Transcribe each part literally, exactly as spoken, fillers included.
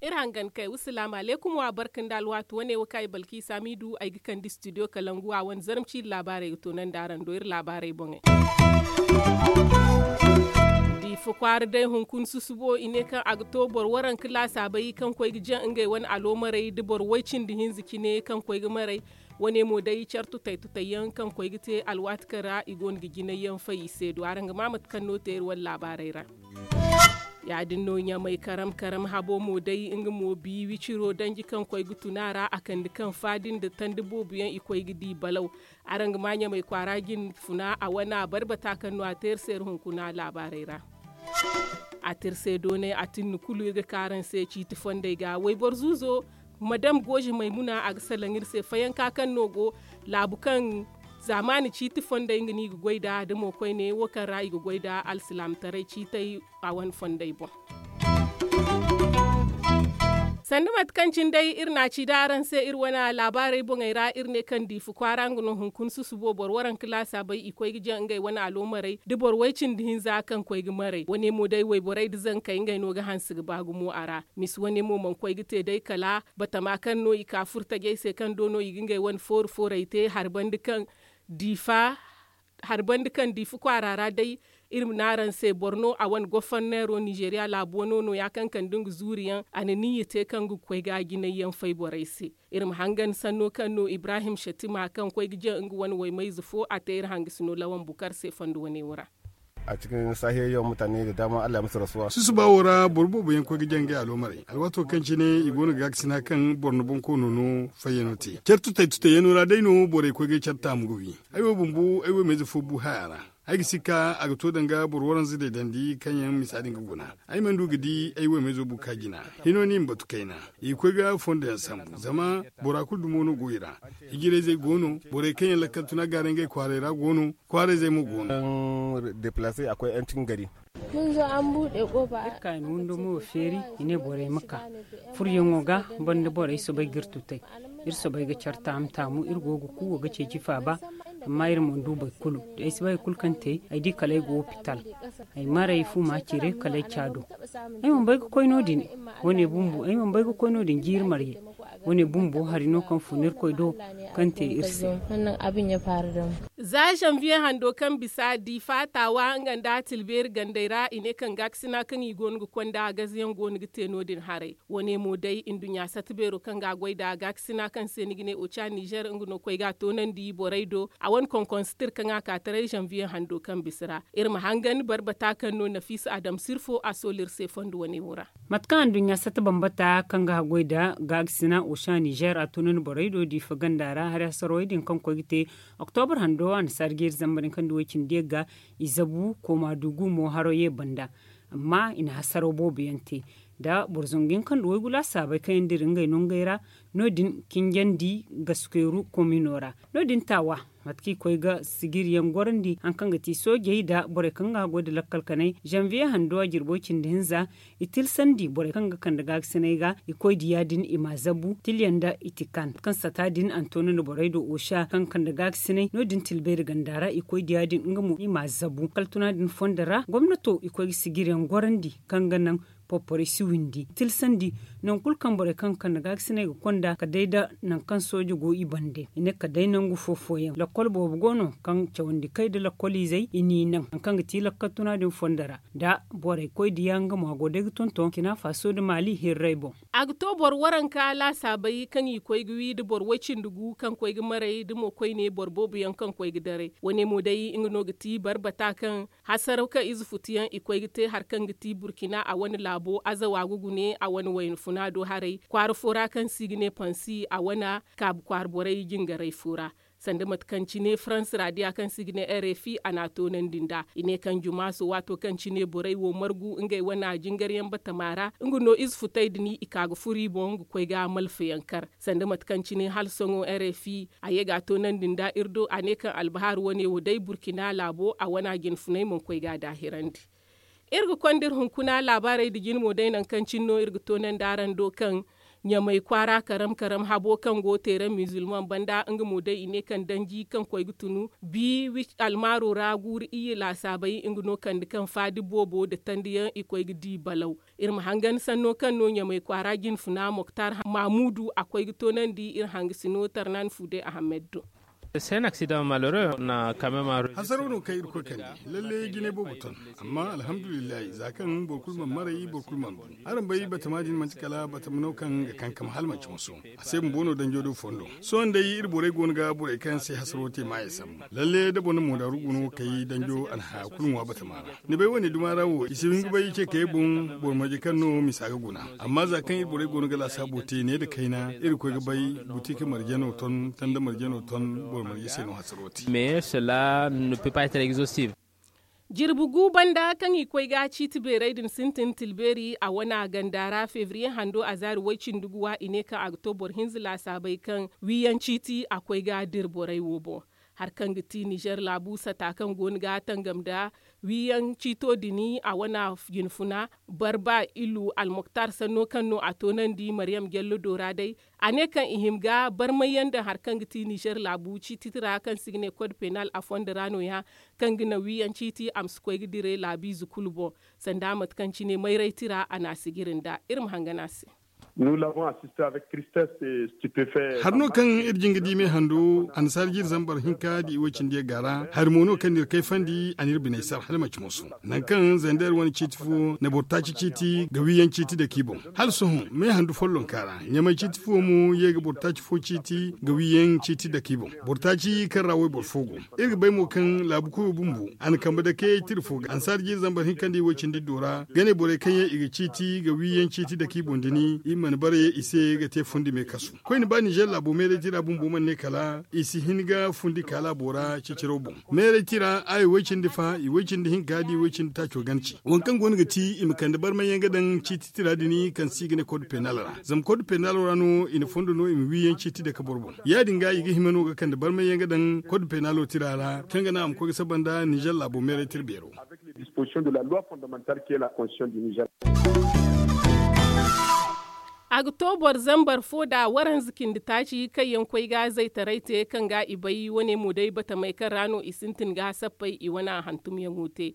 Iri hangan kay wa salaamu alaykum wa barka nda alwaati wane wo kaŋ ay balkiisa miidu ay ga kande studio kalangu a wane zarma ciiri laabaarey ga toonandi araŋ do iri laabaarey boŋey. Diifa kwaara day hunkuna susubo i ne kaŋ a ga to boro waranka laasaabey kaŋ koy ga jaŋ ngey wane aloomarey da boro way cindi hinza cine kaŋ koy ga maray. Wane mo day care tutay tutay yaŋ kaŋ koy ga te alwaati kaŋ ra i go no ga jinay yaŋ fay i se do araŋ ga ma mate kaŋ no te iri wane laabaarey ra. Ya- din no ɲamay karam karam habo mo day nga mo bi wiciro danji kaŋ koy ga tun a ra a kande kaŋ faadi nda tandi boobo yaŋ i koy ga di balaw. Araŋ ga ma ɲamay kwaara jin funa a wane a barbata kaŋ no a te iri se iri hunkuna laabaarey ra. A te iri se doonay a tinni kulu iri ga ka araŋ se ciiti fondey ga wayboro zuuzo madam gooze maymuna a ga salaŋ iri se fayanka kaŋ no go laabu kaŋ zaamaani ciiti fondey nga no i ga goy nd'a da mo koyne wo kaŋ ra i ga goy nd'a alsilaamataray ciitey a wane fondey boŋ. Sanda mate kaŋ cine day iri n'a ci da araŋ se iri wane laabaarey boŋey ra iri ne kaŋ diifa kwaara nga no hunkuna susubo boro waranka laasaabey i koy ga jaŋ ngey wane aloomarey da boro way cindi hinza kaŋ koy ga maray wane mo day wayborey nda zankey ngey no ga hanse ga ba gumo a ra. Misi wane mo mana koy ga te day kala batama kaŋ no i ka furo tajey se kaŋ do no i ga ngey wane foori foorey te hari banda kaŋ diifa hari banda kaŋ diifa kwaara ra day. Iri ma ne araŋ se boro no a wane goforneero ninzeeriya laabu wano no- ya kaŋ kande nga zuuri yaŋ a na niyya te kaŋ ga koy ga jinay yaŋ fay borey se. Iri ma hangan sanno kaŋ no ibrahim shatima kaŋ koy ga jaŋ nga wane waymayze fo a te iri hangasino lawan bukar se fondo wane wo ra. A cikin sahiyar yawan mutane da dama Allah ya musu rasuwa. Susuba wo ra boro boobo yaŋ koy ga jaŋ ngey aloomarey alwaato kaŋ cine i go no ga gaakasina kaŋ boro na bonkoono no fayyano te care tutay tutay yaŋo ra day no borey koy ga care taamu ga wi. Ay wo bumbo ay wo mayze fo bu haya ra. Ay ga si ka a ga to danga boro waranza deedandi kaŋ yaŋ misa din ga guna. Ay mana du ga di ay wo mayzo bu ka jina. Hino no i ma batu kayna i ga koy ga fondo yaŋ sambu zama bora kulu dumo no go i ra. Hijirayzey go no borey kaŋ yaŋ lakkal tuna gaaray ngey kwaaray ra go no. Kwaarayzey mo go no. Deplace akwai yan cikin gari. Iri ka i na windo mo feeri i ne borey ma ka furyaŋo ga banda borey soobay ga iri tutay. Iri soobay ga care taamu taamu iri go ga kuuwa ga ceeci faaba. Amma iri mana du boro kulu da ay si bay hari kulu kaŋ te ay di kala ay go hopital. Ay maray fu ma cire kala ay ca do. Ay mana bay ga koy no- din. Wane bumbo ay mana bay ga koy no- din jiiri marye. Wane bumbo hari no kaŋ fun irkoy do kaŋ te iri se. Za zanviye hando kaŋ bisa diifa taawa nga nda tilbeeri gandey ra i ne kaŋ gaakasina kaŋ i go no ga konda gazayaŋ go no ga te no- din haray. Wane mo day nduɲɲa sata beero kaŋ ga a goy nd'a gaakasina kaŋ se ni ga ne oca nizer nga no koy ga a toonandi borey do. A wane konkonsitir kaŋ a ka taray zanviye hando kaŋ bisa ra. Iri ma hangan barbata kaŋ no nafiisa adam sirfo a soolu iri se fondo wane wo ra. Mate kaŋ anduɲɲa sata bambata kaŋ ga haggoy nda gaakasina oca nizer a toonandi borey do diifa ganda ra hari hasarowey din kaŋ koy ga te. Oktobar hando annasaara jeeri zamba din kaŋ nda way- cindi yagga i zabu kooma dugu mo haro ye banda. Amma i na hasaraw boobo yaŋ te nda boro zangu yaŋ kaŋ nda waygu laasaabey kaŋ yaŋ dira ngey nongey ra. No- din kinjandi gaskeyru komino ra. No- din taawa mate kaŋ i koy ga sigiri yaŋ gorandi hari kaŋ ga ti soojey nda borey kaŋ ga haggoy nda lakkal kanay zanviye hando a jirbo cindi hinza. I tilsandi borey kaŋ ga kande gaagasinay ga i koy diya din i m'a zabu tilyaŋ nda i ti kan kaŋ sata din a na to no nda borey do oca kaŋ kande gaagasinay no- din tilbeeri ganda ra i koy diya din nga mo i m'a zabu kaltuna din fondo ra gomnato i koy ga sigiriyaŋ gorandi kaŋ ga naŋ porporey si windi i tilsandi. Nangu kulu kaŋ borey kaŋ ga kande gaagasinay ga konda kala day nda nangu kaŋ sooja go i bande i ne kala day nangu fo fooyaŋ lakkol boobo go no kaŋ cawandi kay nda lakkol izey i n'i naŋ hari kaŋ ga ti lakkal tuna din fondo ra. Nda borey koy diya nga mo a go day ga tonton burkina faso nda maali hirrey boŋ. A ga to boro waranka laasaabey kaŋ i koy ga wi nda boro way-cindi gu kaŋ koy ga maray nda mo koyne boro boobo yaŋ kaŋ koy ga daray wane mo day nga no ga ti barbata kaŋ hasaraw kaŋ ize futu yaŋ i koy ga te hari kaŋ ga ti burkina a wane laabo azawa ga gune a wane wayna funa do haray kwaara fo ra kaŋ se i ga ne pansi a wane kaabu kwaara borey jingaray fo ra. Sanda mate kaŋ cine farans ra diya kaŋ se i ga ne rfi a n'a toonandi nd'a i ne kaŋ jumaaso waato kaŋ cine borey wo margu ngey wane jingaryaŋ batama ra nga no ize futey din i ka ga furo i boŋ ga koy ga malfayaŋ kar sanda mate kaŋ cine hala sohõ rfi a ye ga a toonandi nd'a iri do a ne kaŋ albahaaru wane wo day burkina laabo a wane jinfuney mana koy ga a daahirandi. Iri ga konda iri hunkuna laabaarey nda jine mo day nangu kaŋ cine no iri ga toonandi araŋ do kaŋ Ɲamay kwaara karam karam habo kaŋ go teere mizilmaŋ banda nga mo day i ne kaŋ danji kaŋ koy ga tunu bi almaaro ra guuru iyye laasaabey nga no kande kaŋ faadi boobo nda tandiyaŋ i koy ga di balaw. Iri ma hangan sanno kaŋ no ɲamay kwaara jinfuna moktar maamuudu a koy ga toonandi iri hangasino tarnan fuude ahammed do. Hasaraw no kaŋ irkoy kande lalle jinay boobo ton. Amma alhamdulillahi za kaŋ boro kulu mana maray boro kulu mana bu. Araŋ bay batama din manti kala batama no kaŋ ga kankam hala manti moso. A se bumbo no danjo do fondo. Sohõ day iri borey go no ga borey kaŋ se hasaro te maayey sambu lalle da boro na moodaaru go no ga kay danjo a na haya kulu ŋwa batama ra. Ni bay wane duma ra wo i si hin ga bay i ce kay boŋ boro marje kaŋ no misa ga guna. Amma za kaŋ iri borey go no ga laasaabo te ne nda kayna iri ga koy ga bay buti ka marje no ton tanda marje no ton boro marje se no hasaro te. Jirbi gu banda kaŋ i koy ga ciiti beerey din sintin tilbeeri a wana ganda ra febriye hando a zaari way-cindi-guwa i ne kaŋ a ga to boro hinza laasaabey kaŋ wiiyaŋ ciiti a koy ga dira borey wo boŋ. Hari kaŋ ga ti nizer laabu sata kaŋ go no ga tangam nda wiiyaŋ ciito din a wana jinfuna barba ilu almoktar sanno kaŋ no a toonandi maryam jallo do ra day. A ne kaŋ i hima ga barmay yaŋ daŋ hari kaŋ ga ti nizer laabu ciiti tira kaŋ se i ga ne kod penal a fondo ra no- ya kaŋ ga naŋ wiiyaŋ ciiti a ma si koy ga dire laabiize kulu boŋ. Sanda mate kaŋ cine mayray tira a na a sijiri nd'a iri ma hangan a se. Hari no kaŋ iri jin ga di me hando annasaara jiiri zambar hinka da i way-cindi yaŋ ga ra hari mo no kaŋ n'iri kayfandi a n'iri biney sar hala manti moso. Nangu kaŋ zander wane ciiti fo na boro taaci ciiti ga wiiyaŋ ciiti dake i boŋ. Hala sohõ me handu follonka ra ɲamay ciiti fo mo ye ga boro taaci fo ciiti ga wiiyaŋ ciiti dake i boŋ. Boro taaci kaŋ ra wayboro fo go. Iri ga bay mo kaŋ laabu koyo bumbo a na kambe dake tira fo ga annasaara jiiri zambar hinka nda i way-cindi iddo ra ga ne borey kaŋ yaŋ i ga ciiti ga wiiyaŋ ciiti dake i boŋ din i mana bare i se ga te fundi me kasu. Koyne ba nizer laabo meeray tira bumbo mana ne kala i si hin ga fundi ka laabo ra ciciraw boŋ. Meeray tira aya way-cindi fa i way-cindi hinka da i way-cindi taaco gana ci waŋ kaŋ go no ga ti i ma kande barmay yaŋ ga daŋ ciiti tira din kaŋ se i ga ne kod penal ra zama kod penal ra no i na fondo no i ma wiiyaŋ ciiti dake boro boŋ. Ya- din ga i ga hima no ga kande barmay yaŋ ga daŋ kod penalo tira ra kaŋ ga naŋ a ma koy ga saba nda nizer laabo meeray tira beero. A ga to boro zambar fo da waranza cindi taaci kaŋ yaŋ koy ga zaytaray te kaŋ ga i bay wane mo day batamey kaŋ ra no i sintin ga sappey i wane hantumyaŋo te.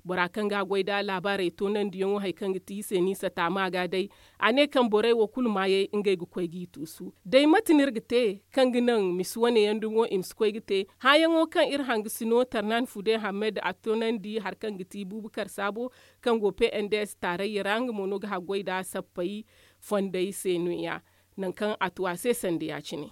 Bora kaŋ ga goy da laabaarey toonandiyaŋo hari kaŋ ga ti i se ni sata ma ga day. A ne kaŋ borey wo kulu maayey ngey ga koy g'i tuusu day mate no iri ga te kaŋ ga naŋ misi wane yaŋ dumo i ma si koy ga te. Hããyaŋo kaŋ iri hangasino tarnan fude hammed a toonandi hari kaŋ ga ti buubakar saabo kaŋ go pnds taarayya ra nga mo no ga haggoy nd'a sappey fondey se no- ya. Nangu kaŋ a tu a se sanda ya- cine.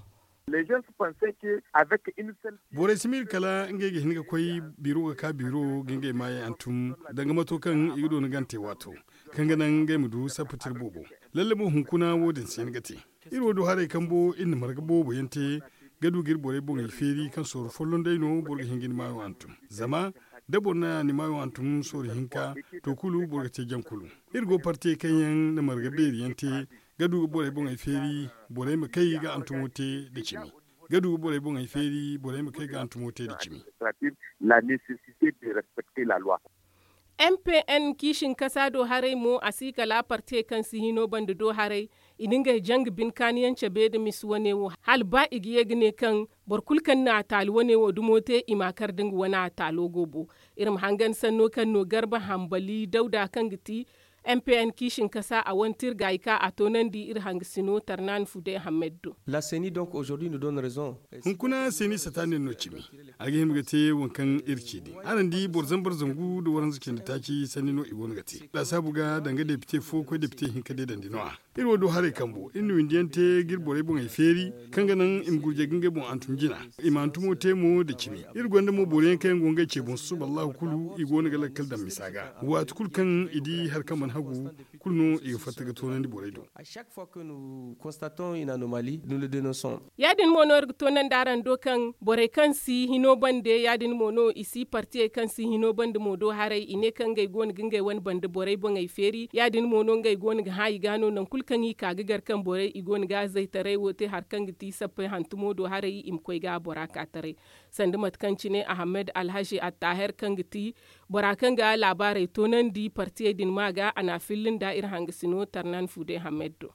Borey si miila kala ngey ga hin ga koy biiro ga ka biiro ga ngey maayey hantum danga mato kaŋ i ga doona gante waato kaŋ ga naŋ ngey ma du sappa tira boobo. Lalle mo hunkuna wo- din se ni ga te. Iri wo du haray kambo iri na marga boobo yaŋ te ga du ga iri borey boŋey feeri kaŋ sooru folloŋ day no boro ga hin ga ni maayo hantum. Zama da boro na ni maayo hantum sooru hinka to kulu boro ga te jaŋ kulu. Iri go partey kaŋ yaŋ na marga beeri yaŋ te ga du ga borey boŋey feeri borey ma kay ga hantumo te nda cimi. Ga du ga borey boŋey feeri borey ma kay ga hantumo te nda cimi. Mpn kiisinkasa do haray mo a si kala partey kaŋ si hino banda do haray. I na ngey janga binkaaniyaŋ cabe nda misi wane wo hala ba i ga ye ga ne kaŋ boro kulu kaŋ na a taali wane wo dumo te i ma a kar da nga wane a taalo go bo. Iri ma hangan sanno kaŋ no garba hambali dawda kaŋ ga ti mpn kiisinkasa a wane tirgaayi ka a toonandi iri hangasino tarnaani fude hammed do. Hunkuna seeni sata nin no cimi. A ga hima ga te waŋ kaŋ iri ci din araŋ di boro zambar zangu nda waranza cindi taaci sanni no i go no ga te laasaabu ga danga depite fo koy depite hinka deedandi no- ya. Iri wo du haray kambo iri na windi yaŋ te ga iri borey boŋey feeri kaŋ ga naŋ i ma gurjay ga ngey boŋ hantum jina. I ma hantumo te mo nda cimi. Iri gonda mo boro yaŋ kaŋ yaŋ go ngey ce boŋ susuba allahu kulu i go no ga lakkal daŋ misa ga waati kulu kaŋ i di hari kaŋ mana hagu kulu no i ga fatta ga toonandi borey do. Ya- din mo no iri ga toonandi araŋ do kaŋ borey kaŋ si hino bande ya- din mo no i si partiyey kaŋ si hino bande mo do haray i ne kaŋ ngey go no ga ngey wane bande borey boŋey feeri ya- din mo no ngey go no ga hã i ga no nangu kulu kaŋ i ka ga gar kaŋ borey i go no ga zaytaray wo te hari kaŋ ga ti sappey hantumo do haray i ma koy ga bora ka taray. Sanda mate kaŋ cine ahammed alhazi attaher kaŋ ga ti bora kaŋ ga laabaarey toonandi partiyey din ma ga a na a filla nda iri hangasino tarnan fude hammed do.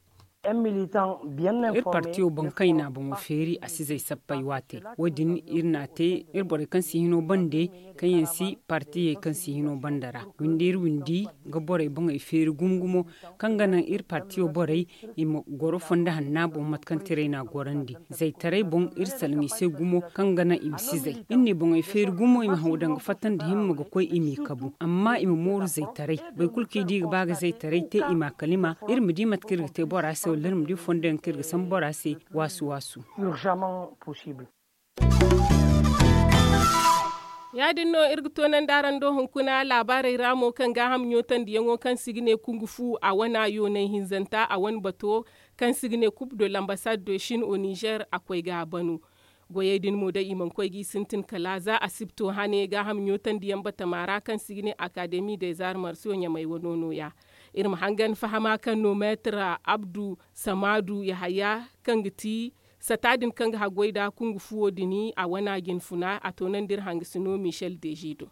Iri partiyo boŋ kaŋ i na boŋo feeri a si zay sappey waate. Wo- din iri n'a te iri borey kaŋ si hino bande, kaŋ yaŋ si partiyey kaŋ si hino bande ra. Windi iri windi ga borey boŋey feeri gumo gumo, kaŋ ga naŋ iri partiyo borey i ma goro fondo hanna boŋ mate kaŋ tiray n'a gorandi. Zaytaray boŋ iri salaŋ i se gumo, kaŋ ga naŋ i ma si zay. Iri n'i boŋey feeri gumo i ma haw danga fatta nda himma ga koy i m'i kabu, amma i ma mooru zaytaray. Boro kulu kaŋ i di ga ba ga zaytaray te i m'a kalima, iri ma di mate kaŋ iri ga te bora se wala iri ma di fondo yaŋ kaŋ iri ga sambu bora se. Waasu waasu. Ya- din no iri ga toonandi araŋ do hunkuna laabaarey ra mo kaŋ gaaham ɲootandiyaŋo kaŋ se i ga ne kungu fu a wane yoonay hinzanta a wane bato, kaŋ se i ga ne kub de lambasad de shin o nizer a koy ga a banu. Goyey din mo day i mana koy g'i sintin kala za asibto hane gaaham ɲootandiyaŋ batama ra kaŋ se i ga ne akademi de zarmarsiyo ɲamay wano nooya. Iri ma hangan fahama kaŋ no meetar abdu samaadu yahaya, kaŋ ga ti sata din kaŋ ga haggoy nda kungu fuwo din a wana jinfuna a toonandi iri hangasino michel deji do.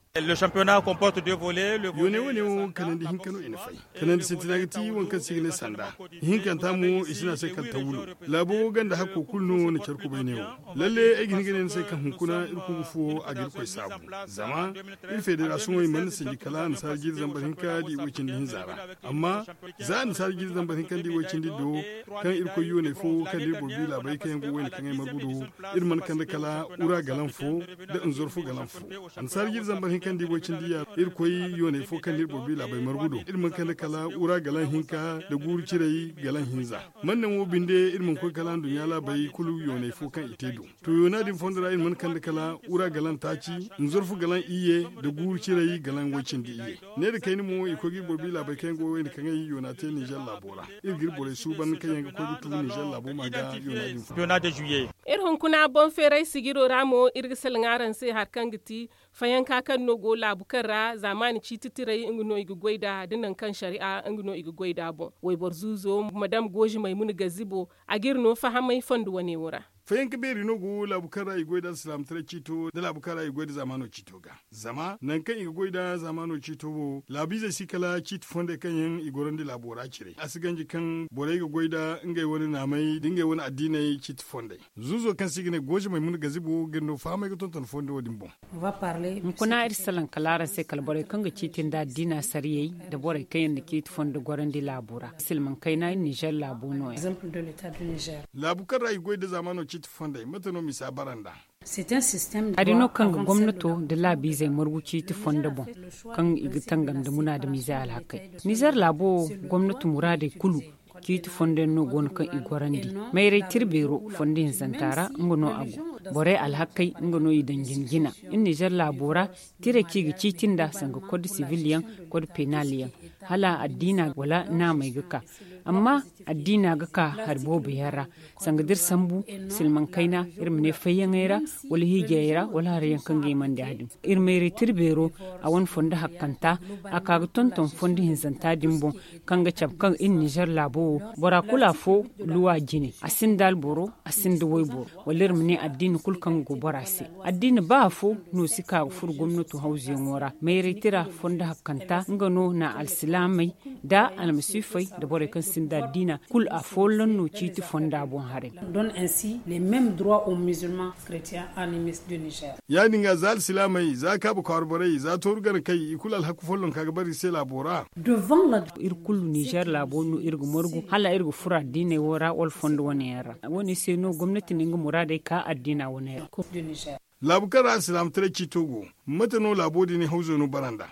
Yooney wane wo kanandi hinka no i na fay. Kanandi sintina ga ti waŋ kaŋ se i ga ne sanda. Ihinkanta mo i si ne a se kala tawulo. Laabo ganda hakko kulu no na care kubay ne wo. Lalle ay ga hin ga ne ni se kaŋ hunkuna iri kungu fuwo a ga irkoy saabu. Zama iri federasiyoŋey mana sinji kala annasaara jiiri zambar hinka da i way cindi hinza ra. Amma za annasaara jiiri zambar hinka nda i way cindi do, kaŋ iri koy yooney fo kaŋ da iri boro bi laabey kaŋ yaŋ go wayna kaŋ ay margu do, iri mana kande kala ura galan fo nda nzorfu galan fo. Annasaara jiiri zambar hinka nda i way cindi ya iri koy yooney fo kaŋ da iri boro bi laabey margu do, iri mana kande kala ura galan hinka nda guuru ciray galan hinza. Man naŋ wo binde iri mana koy kala nduɲɲa laabey kulu yooney fo kaŋ i te do. To yoona din fondo ra iri mana kande kala ura galan taaci, nzorfu galan iyye nda guuru ciray galan way cindi iyye. Ne nda kayna mo i koy ga iri boro bi laabey kaŋ yaŋ go wayna kaŋ ay yoona te nizer laabo ra. Iri ga iri borey suuban kaŋ yaŋ ga koy ga tu nizer laabo ma ga yoona din fondo. Iri hunkuna boŋ feeray sijiro ra mo iri ga salaŋ araŋ se hari kaŋ ga ti fayanka kaŋ no go laabu kaŋ ra zaamaani ciiti tiray nga no i ga goy nd'a da nangu kaŋ sariya nga no i ga goy nd'a boŋ. Wayboro zuuzo madam goozi maymuna gazibo a ga iri no fahamay fondo wane wo ra. Fayanka beeri no go laabu kaŋ ra i goy nd'a alsilaamataray ciito nda laabu kaŋ ra i goy nda zaamaano ciito ga. Zama nangu kaŋ i ga goy nd'a zaamaano ciito wo laabiizey si kala ciiti fondey kaŋ yaŋ i gorandi laabo ra cire a si ganji kaŋ borey ga goy nd'a ngey wane naamey nda ngey wane addiiney ciiti fondey. Zuuzo kaŋ se i ga ne goozi maymuna gazibo ga iri no fahamay ga tonton fondo wo- din boŋ. Hunkuna iri salaŋ kala araŋ se kala borey kaŋ ga ciiti nda addiina sariyey nda borey kaŋ yaŋ na ciiti fondo gorandi laabo ra silmaŋ kayna iri nizer laabo no- ya. Laabu kaŋ ra i goy nda zaamaano ciiti fondey mate no misa bara nd'a? Hari no kaŋ ga gomnato nda laabiizey margu ciiti fondo boŋ, kaŋ i ga tangam nda munaadamiizey alhakey. Nizer laabo wo gomnato muraadey kulu ciiti fondo yaŋ no go no kaŋ i gorandi. Mayray tira beero fondo hinzanta ra nga no a go. Borey alhakey nga no i daŋ jina jina. Iri nizer laabo ra tiray kaŋ i ga ciiti nd'a sanga kod sibil yaŋ, kod penal yaŋ, hala addiina wala naamey ga ka. Amma addiina ga ka hari boobo yaŋ ra, sanga da iri sambu silmaŋ kayna, iri ma ne fayyaŋey ra wala hiijayey ra wala hari yaŋ kaŋ ga himandi ya- din. Iri mayray tira beero a wane fondo hakkanta, a ka ga tonton fondo hinzanta din boŋ, kaŋ ga cabe kaŋ iri nizer laabo wo bora kulu afo luwa jine, a sinda alboro, a sinda wayboro, wala iri ma ne addiina kulu kaŋ ga go bora se. Addiina ba afo no si ka ga furo gomnato hawzuyaŋo ra. Mayray tira fondo hakkanta nga no na alsilaamey nda almasiifey nda borey kaŋ sinda addiina kulu afolloŋ no ciiti fonda boŋ haray. Ya- din ga za alsilaamey, za kaabu kwaara borey, za tooru gana kay i kulu alhaku follonka ga bara iri se laabo ra. Iri kulu nizer laabo no iri ga margu hala iri ga furo addiiney wo ra wala fondo wane yaŋ ra. Wo- ne se no gomnati na nga muraadey ka addiina wane ra. Laabu kaŋ ra alsilaamataray ciito go, mate no laabo din hawzo no bara nd'a?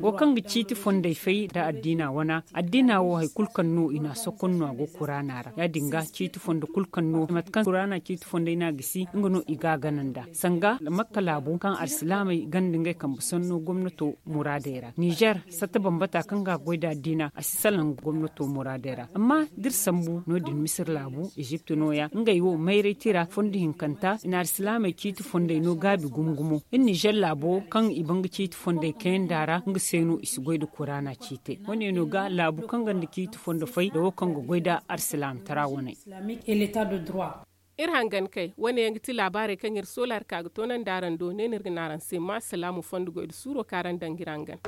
Wo kaŋ ga ciiti fondey fay nda addiina wana, addiina wo hari kulu kaŋ no i n'a sokon no a go kuraana ra. Ya- din ga ciiti fondo kulu kaŋ no mate kaŋ kuraana ciiti fondey no a gisi nga no i ga a gana nd'a sanga makka laabo kaŋ alsilaamey ganda ngey kambe sanno gomnato muraadey ra. Nizer satta bambata kaŋ ga a goy nda addiina a si salaŋ gomnato muraadey ra. Amma da iri sambu no- din misir laabu ezipt nooya ngey wo mayray tira fondo hinkanta i na alsilaamey ciiti fondey no gaabi gumo gumo. Iri nizer laabo kaŋ i ban ga ciiti fondey kayanda ra nga se no i si goy nda kuraana ciitey. Wo- ne no ga laabu kaŋ gonda ciiti fondo fay nda wo kaŋ ga goy nda alsilaamtara wane. Iri hangan kay wane yaŋ ga ti laabaarey kaŋ iri sola hari ka ga toonandi araŋ do ne no iri ga ne araŋ se ma salaamu fondo goy nda suuro kaŋ araŋ daŋ ga iri hangan.